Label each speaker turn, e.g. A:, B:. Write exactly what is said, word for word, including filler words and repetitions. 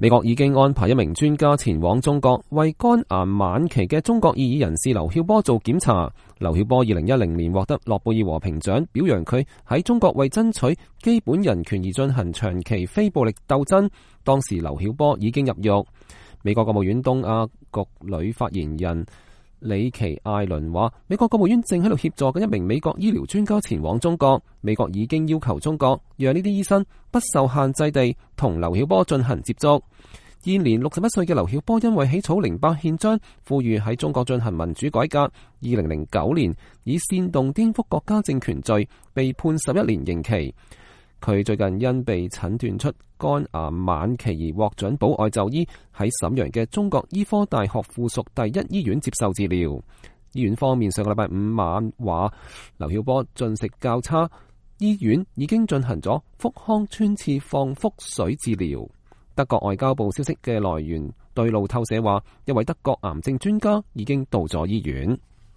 A: 美國已經安排一名專家前往中國，為肝癌晚期嘅中國異議人士劉曉波做檢查。劉曉波二零一零年獲得諾貝爾和平獎，表揚佢喺中國為爭取基本人權而進行長期非暴力鬥爭。當時劉曉波已經入獄。美國國務院東亞局女發言人里奇艾倫話，美國國務院正喺度協助緊一名美國醫療專家前往中國。美國已經要求中國讓呢啲醫生不受限制地同劉曉波進行接觸。現年六十一歲嘅劉曉波因為起草零八憲章，呼籲喺中國進行民主改革，二零零九年以煽動顛覆國家政權罪被判十一年刑期。佢最近因被診斷出肝癌晚期而獲准保外就醫，喺瀋陽嘅中國醫科大學附屬第一醫院接受治療。醫院方面上個禮拜五晚話，劉曉波進食較差，醫院已經進行咗腹腔穿刺放腹水治療。德國外交部消息嘅來源對路透社話，一位德國癌症專家已經到咗醫院。